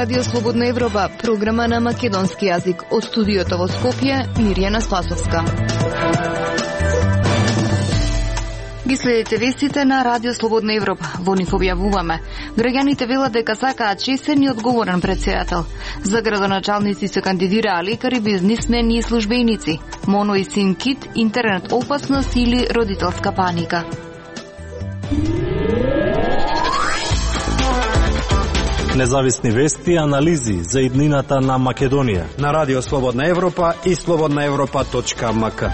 Радио Слободна Европа, програма на македонски јазик. Од студиото во Скопје, Мирјана Спасовска. Ги следите вестите на Радио Слободна Европа. Во нив објавуваме. Граѓаните велат дека сакаат честен и одговорен претседател. За градоначалници се кандидираа лекари, бизнисмени и службеници. Моно и син кит, интернет опасност или родителска паника. Независни вести и анализи за иднината на Македонија на Радио Слободна Европа и slobodnaevropa.mk.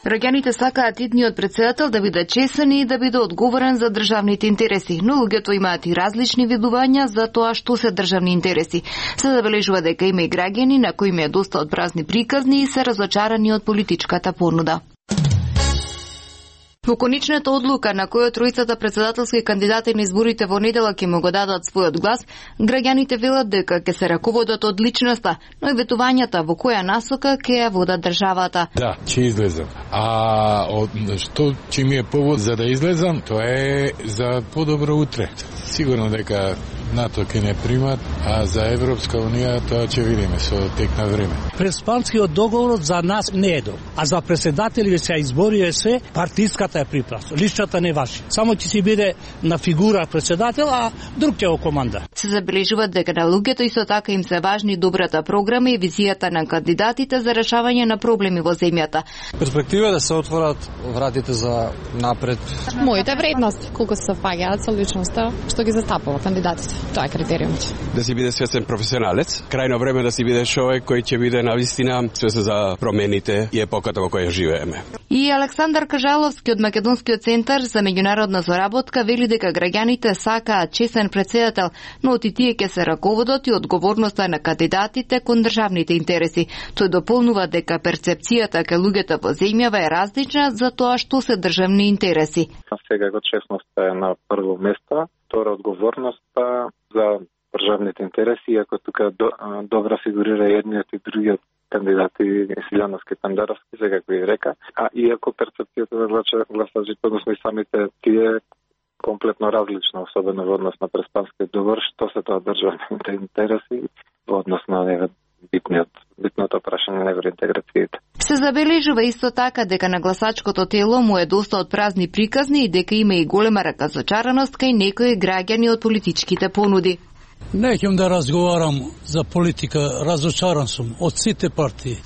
Граѓаните сакаат идниот претседател да биде честен и да биде одговорен за државните интереси, но луѓето имаат и различни видувања за тоа што се државни интереси. Се забележува дека има и граѓани на кои им е доста од празни приказни и се разочарани од политичката понуда. Во конечната одлука на која тројцата претседателски кандидати на изборите во недела ќе му го дадат својот глас, граѓаните велат дека ќе се раководат од личноста, но и ветувањата во која насока ќе ја водат државата. Да, ќе излезам. А што ќе ми е повод за да излезам, тоа е за подобро утре. Сигурно дека НАТО ќе не примат, а за Европска Унија тоа ќе видиме со тек на време. Преспанскиот договор за нас не е добар, а за председатели се изборија се, партиската е припрасно. Личната не важи. Само ќе си биде на фигура председател, а друг ќе го команда. Се забележува дека на луѓето исто така им се важни добрата програма и визијата на кандидатите за решавање на проблеми во земјата. Перспектива да се отворат вратите за напред. Моите вредности, колку се совпаѓаат со личноста што ги застапува кандидатите. Тоа е критериумот. Да си биде свесен професионалец, крајно време да си биде човек кој ќе биде навистина свесен за промените и епоката во која живееме. И Александар Кажаловски од Македонскиот центар за меѓународна заработка вели дека граѓаните сакаат честен претседател, но од тие ќе се раководат и одговорноста на кандидатите кон државните интереси. Тој дополнува дека перцепцијата кај луѓето во земјава е различна за тоа што се државни интереси. Секако честноста е на прво место, втора одговорноста за државните интереси, иако тука добра фигурира едниот и другиот кандидати, Силјановски, Тандаровски, секако и река, а иако перцепцијата на гласачите, односно и самите тие комплетно различна, особено во однос на Преспанскиот договор, што се тоа државните интереси во однос на битното прашање на евроинтеграцијата. Се забележува исто така дека на гласачкото тело му е доста од празни приказни и дека има и голема разочараност кај некои граѓани од политичките понуди. Неќем да разговарам за политика, разочаран сум од сите партии.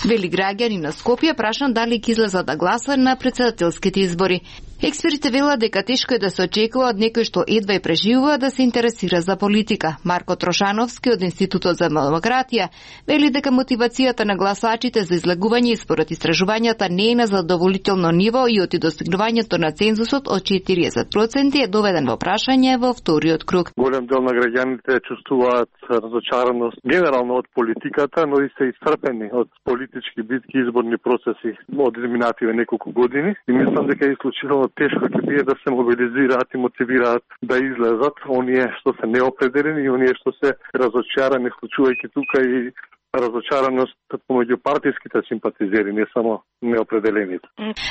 Вели граѓани на Скопје прашан дали ќе излезат да гласат на претседателските избори. Експертите велат дека тешко е да се очекува од некој што едва и преживува да се интересира за политика. Марко Трошановски од Институтот за демократија вели дека мотивацијата на гласачите за излегување според истражувањата не е на задоволително ниво и оти достигнувањето на цензусот од 40% е доведен во прашање во вториот круг. Голем дел на граѓаните чувствуваат разочараност генерално од политиката, но и се исцрпени од политички битки и изборни процеси од изминативе неколку години и мислам дека е исклучително тешко ќе биде да се мобилизираат и мотивираат да излезат оние што се неопределени и оние што се разочарани, вклучувајќи тука и разочараност помеѓу партиските симпатизери, не само неопределените.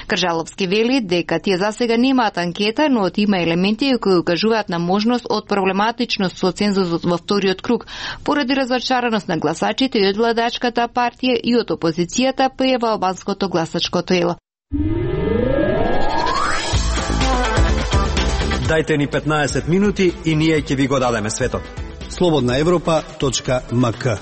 Кажаловски вели дека тие засега немаат анкета, но има елементи кои укажуваат на можност од проблематичност со цензусот во вториот круг, поради разочараност на гласачите и од владачката партија и од опозицијата при албанското гласачко тело. Дајте ни 15 минути и ние ќе ви го дадеме светот. slobodnaevropa.mk.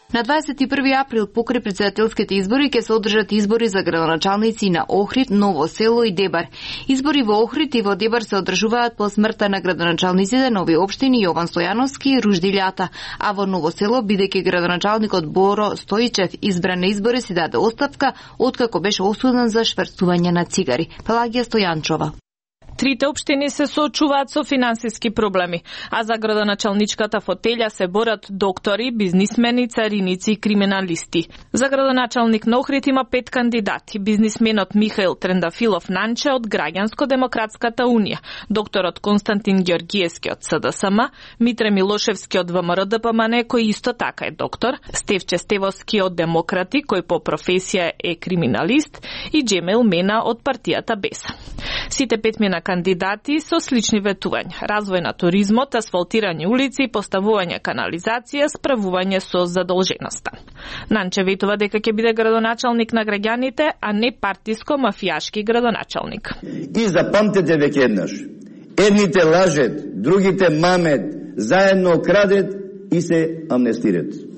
На 21 април покрај претседателските избори ќе се одржат избори за градоначалници на Охрид, Ново село и Дебар. Избори во Охрид и во Дебар се одржуваат по смртта на градоначалниците на овие општини Јован Стојановски и Ружди Лјата, а во Ново село, бидејќи градоначалникот Боро Стојчев избран на избори, си даде оставка откако беше осуден за шверцување на цигари. Пелагија Стојанчова. Трите општини се соочуваат со финансиски проблеми, а за градоначалничката фотелја се борат доктори, бизнисмени, цариници и криминалисти. За градоначалник на Охрид има 5 кандидати: бизнисменот Михаил Трендафилов Нанче од Граѓанско-демократската унија, докторот Константин Ѓоргиевски од СДСМ, Митре Милошевски од ВМРО-ДПМН, кој исто така е доктор, Стевче Стевовски од Демократи, кој по професија е криминалист, и Џемел Мена од партијата Беса. Сите 5 кандидати со слични ветувања: развој на туризмот, асфалтирање улици, поставување канализација, справување со задолженоста. Нанче ветува дека ќе биде градоначалник на граѓаните, а не партиско-мафијашки градоначалник. И запамтете веќе еднаш: едните лажет, другите мамет, заедно крадет и се амнестират.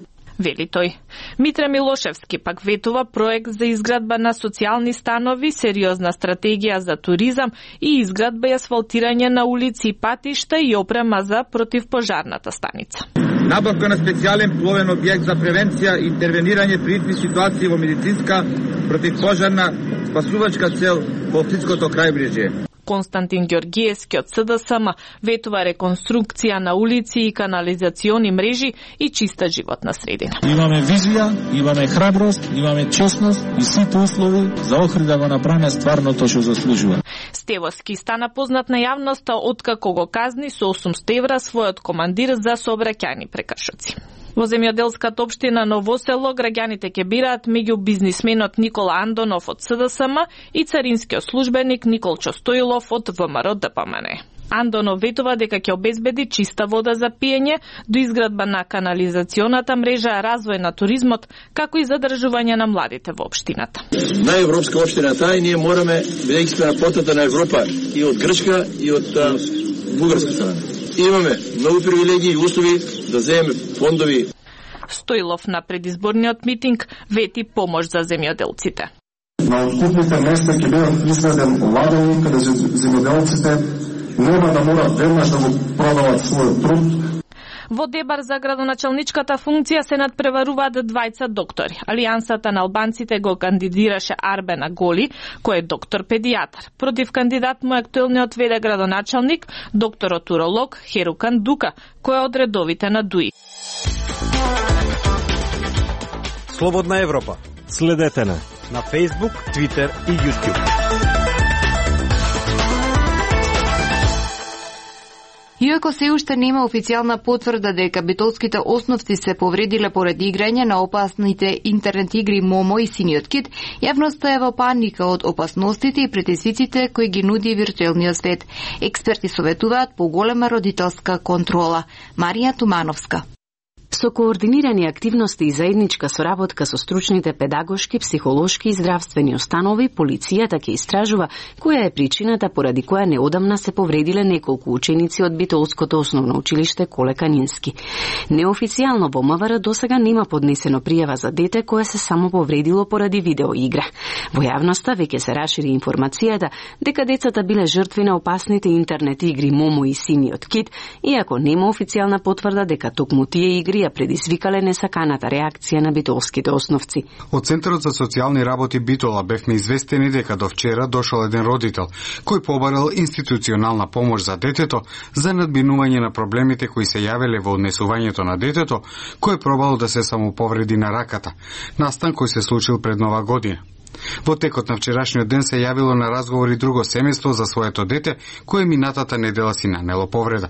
Вели тој. Митре Милошевски пак ветува проект за изградба на социјални станови, сериозна стратегија за туризам и изградба и асфалтирање на улици и патишта и опрема за противпожарната станица. Набавка на специјален пловен објект за превенција и интервенирање при итни ситуации во медицинска, противпожарна, спасувачка цел во Охридското крајбрежје. Константин Ѓоргиевски од СДСМ ветува реконструкција на улици и канализациони мрежи и чиста животна средина. Имаме визија, имаме храброст, имаме честност и сите услови за Охрид да го направиме стварно тоа што заслужува. Стевовски стана познат на јавноста откако го казни со 800 евра својот командир за сообраќајни прекршоци. Во земјоделската општина Ново село граѓаните ќе бираат меѓу бизнисменот Никола Андонов од СДСМ и царинскиот службеник Николчо Стоилов од ВМРО-ДПМН. Андонов ветува дека ќе обезбеди чиста вода за пиење, до изградба на канализационата мрежа, развој на туризмот, како и задржување на младите во општината. На европска општина таа и ние мораме, бидејќи сме на потата на Европа и од Грчка и од бугарска страна. Имаме многу привилегии и услови да земеме фондови. Стоилов на предизборниот митинг вети помош за земјоделците. На откупните места ќе бидат изграден ладови каде земјоделците нема да морат веднаш да го продават својот труд. Во дебар за градоначалничката функција се надпреваруваат 20 доктори. Алијансата на албанците го кандидираше Арбен Аголи, кој е доктор-педијатар. Против кандидат му е актуелниот веде градоначалник, докторот уролог Херукан Дука, кој е од редовите на ДУИ. Слободна Европа. Следете на Facebook, Twitter и YouTube. Иако се уште нема официјална потврда дека битолските основци се повредиле поради играње на опасните интернет игри Момо и Синиот кит, јавноста е во паника од опасностите и притисиците кои ги нуди виртуелниот свет. Експерти советуваат поголема родителска контрола. Марија Тумановска. Со координирани активности и заедничка соработка со стручните педагошки, психолошки и здравствени установи, полицијата ќе истражува која е причината поради која неодамна се повредиле неколку ученици од Битолското основно училиште Коле Канински. Неофицијално во МВР досега нема поднесено пријава за дете кое се само повредило поради видеоигра. Во јавноста веќе се расшири информацијата дека децата биле жртви на опасните интернет игри Момо и Синиот кит, иако нема официјална потврда дека токму тие игри ја предизвикале несаканата реакција на битолските основци. Од Центарот за социјални работи Битола бевме известени дека до вчера дошол еден родител кој побарал институционална помош за детето за надминување на проблемите кои се јавеле во однесувањето на детето, кој пробало да се самоповреди на раката, настан кој се случил пред Нова година. Во текот на вчерашниот ден се јавило на разговори друго семејство за своето дете, кое минатата недела си нанело повреда.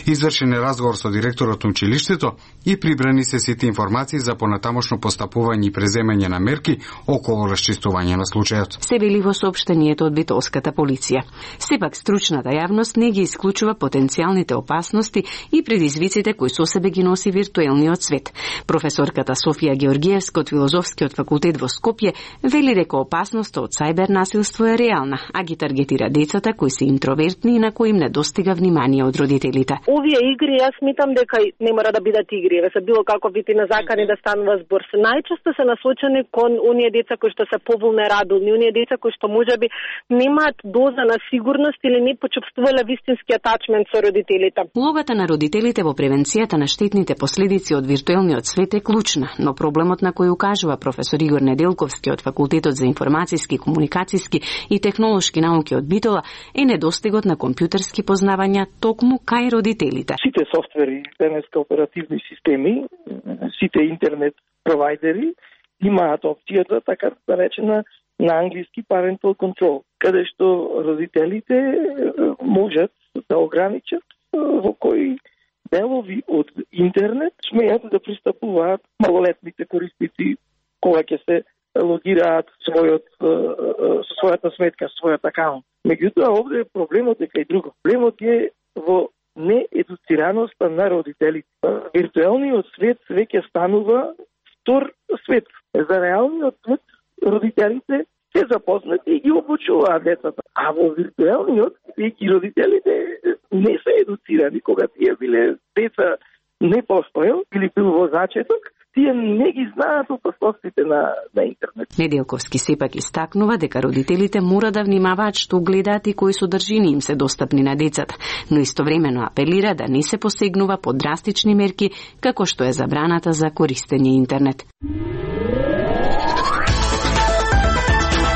Извршен е разговор со директорот на училиштето и прибрани се сите информации за понатамошно постапување и преземање на мерки околу расчистување на случајот. Се вели во соопштението од битолската полиција. Сепак стручната јавност не ги исклучува потенцијалните опасности и предизвиците кои со себе ги носи виртуелниот свет. Професорката Софија Ѓоргиевска од Филозофскиот факултет во Скопје вели дека опасноста од сајбер насилство е реална, а ги таргетира децата кои се интровертни и на кои им недостига внимание од родителите. Овие игри, јас смитам дека не мора да бидат игри, се било како вити на закани да станува збор. Најчесто се насочени кон оние деца кои што се повулнерабилни, оние деца кои што можеби немаат доза на сигурност или не почувствувале вистински атачмент со родителите. Улогата на родителите во превенцијата на штетните последици од виртуелниот свет е клучна, но проблемот на кој укажува професор Игор Неделковски од факултетот Институтот за информацијски, комуникацијски и технолошки науки од Битола е недостигот на компјутерски познавања токму кај родителите. Сите софтвери, денеска оперативни системи, сите интернет провайдери имаат опцијата, така да речена, на англиски parental control, каде што родителите можат да ограничат во кои делови од интернет смеат да пристапуваат малолетните корисници кога ќе се логираат својата сметка, својот акаунт. Меѓутоа, овде проблемот е кај друго. Проблемот е во неедуцираноста на родителите. Виртуелниот свет веќе станува втор свет. За реалниот свет родителите се запознати и ги обучуваат децата. А во виртуелниот, веќе родителите не се едуцирани, кога тие биле деца не постоел или бил во зачеток, тие не ги знаат опасностите на интернет. Неделковски сепак истакнува дека родителите мора да внимаваат што гледаат и кои содржини им се достапни на децата, но истовремено апелира да не се посегнува по драстични мерки како што е забраната за користење интернет.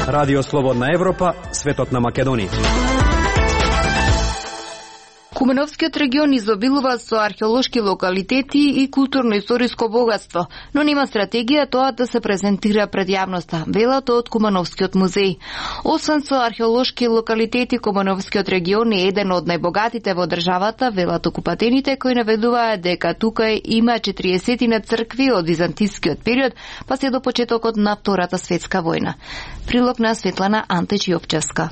Радио Слободна Европа, светот на Македонија. Кумановскиот регион изобилува со археолошки локалитети и културно-историско богатство, но нема стратегија тоа да се презентира пред јавноста, велато од Кумановскиот музеј. Освен со археолошки локалитети, Кумановскиот регион е еден од најбогатите во државата, велато купатените кои наведуваат дека тука има 40 цркви од византискиот период, па се до почетокот на Втората светска војна. Прилог на Светлана Антеч-Јовчевска.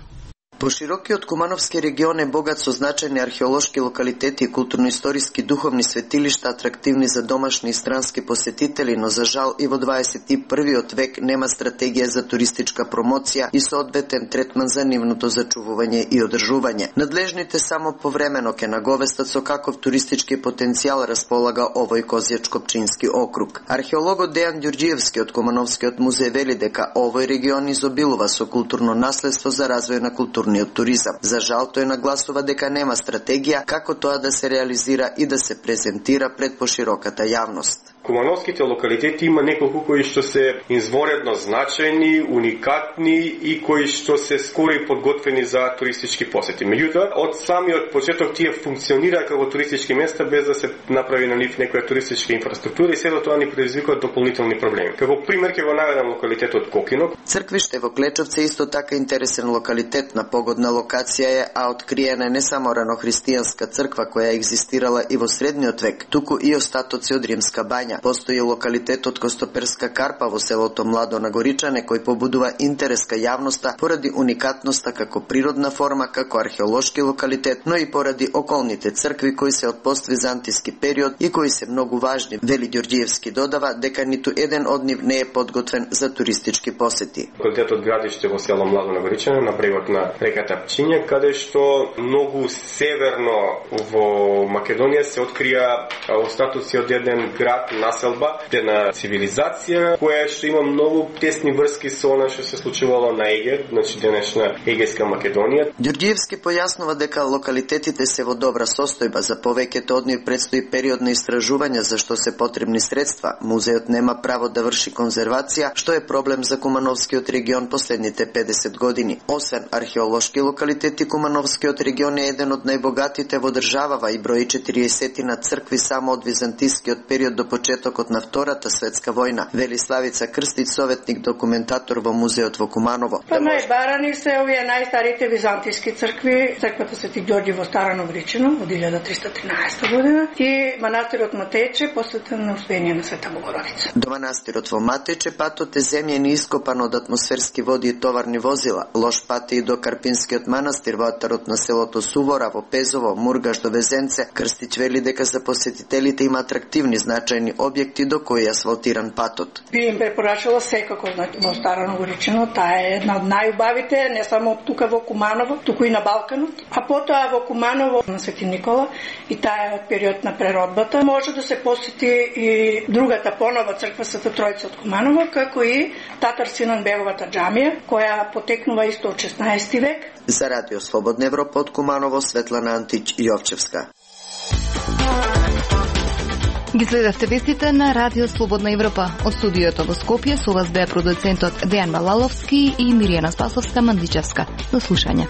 Поширокиот Кумановски регион е богат со значајни археолошки локалитети и културно-историски духовни светилишта, атрактивни за домашни и странски посетители, но за жал и во 21 век нема стратегија за туристичка промоција и соодветен третман за нивното зачувување и одржување. Надлежните само повремено ке наговестат со каков туристички потенцијал располага овој Козјачко-Пчински округ. Археологот Дејан Ѓурѓиевски од Кумановскиот музеј вели дека овој регион изобилува со културно наследство за развој на културниот туризам. За жал тој нагласува дека нема стратегија како тоа да се реализира и да се презентира пред пошироката јавност. Кумановските локалитети има неколку кои што се изворедно значајни, уникатни и кои што се скоро и подготвени за туристички посети. Меѓутоа, од самиот почеток тие функционираат како туристички места без да се направи на нив некоја туристичка инфраструктура и сето тоа ни предизвикува дополнителни проблеми. Како пример ќе го наведам локалитетот Кокинок. Црквиште во Клечовце исто така интересен локалитет. На погодна локација е, а откриена не само ранохристијанска црква која екзистирала и во средниот век, туку и остатоци од римска бања. Постои локалитетот Костоперска карпа во селото Младо на Горичане кој побудува интерес кај јавноста поради уникатноста како природна форма, како археолошки локалитет, но и поради околните цркви кои се од поствизантиски период и кои се многу важни. Вели Ѓурѓиевски додава дека ниту еден од нив не е подготвен за туристички посети. Локалитетот градиште во село Младо на Горичане на брегот на реката Пчиња, каде што многу северно во Македонија се открија остатоци од еден град, населба, една цивилизација која што има многу тесни врски со она што се случувало на Егер, значи денешна Егејска Македонија. Ѓурѓиевски појаснува дека локалитетите се во добра состојба, за повеќето од нив предстои период на истражување за што се потребни средства. Музеот нема право да врши конзервација, што е проблем за Кумановскиот регион последните 50 години. Освен археолошки локалитети, Кумановскиот регион е еден од најбогатите во државава и брои 40 на цркви само од византискиот период до почетокот на Втората светска војна, вели Славица Крстич, советник документатор во музеот во Куманово. Па најбарани се овие најстарите византиски цркви, црквата Свети Ѓорѓи во Старано Вричино од 1313 година и манастирот Матејче посветен на Успение на Света Богородица. До манастирот во Матејче патот е земјен и ископан од атмосферски води и товарни возила. Лош пат и до Карпинскиот манастир во атарот на селото Сувора, во Пезово, Мургаш до Везенце. Крстич вели дека за посетителите има атрактивни значајни објекти до кои е асфалтиран патот. Би им препорачала секако во Старано Горичино, таа е една од најубавите, не само тука во Куманово, туку и на Балканот. А потоа во Куманово на Свети Никола и таа е од период на преродбата. Може да се посети и другата понова црква Света Тројца од Куманово, како и Татар Синан Беговата џамија, која потекнува исто од 16 век. За Радио Слободна Европа од Куманово, Светлана Антич-Јовчевска. Ги следавте вестите на Радио Слободна Европа. Од студиото во Скопје со вас беа продуцентот Дејан Малаловски и Миријана Спасовска-Мандичевска. До слушање.